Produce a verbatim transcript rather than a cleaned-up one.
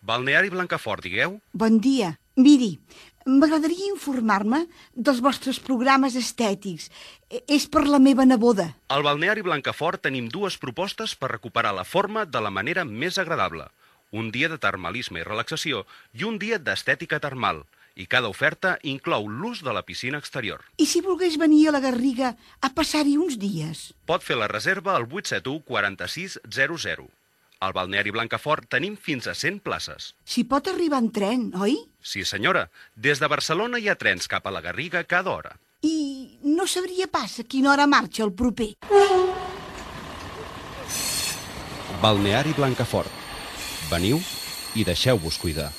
Balneari Blancafort, digueu? Bon dia. Miri, m'agradaria informar-me dels vostres programes estètics. És per la meva neboda. Al Balneari Blancafort tenim dues propostes per recuperar la forma de la manera més agradable. Un dia de termalisme i relaxació i un dia d'estètica termal. I cada oferta inclou l'ús de la piscina exterior. I si volgués venir a la Garriga a passar-hi uns dies? Pot fer la reserva al vuit set u quaranta-sis zero zero. Al Balneari Blancafort tenim fins a cent places. S'hi pot arribar en tren, oi? Sí, senyora. Des de Barcelona hi ha trens cap a la Garriga cada hora. I no sabria pas a quina hora marxa el proper. Balneari Blancafort. Veniu i deixeu-vos cuidar.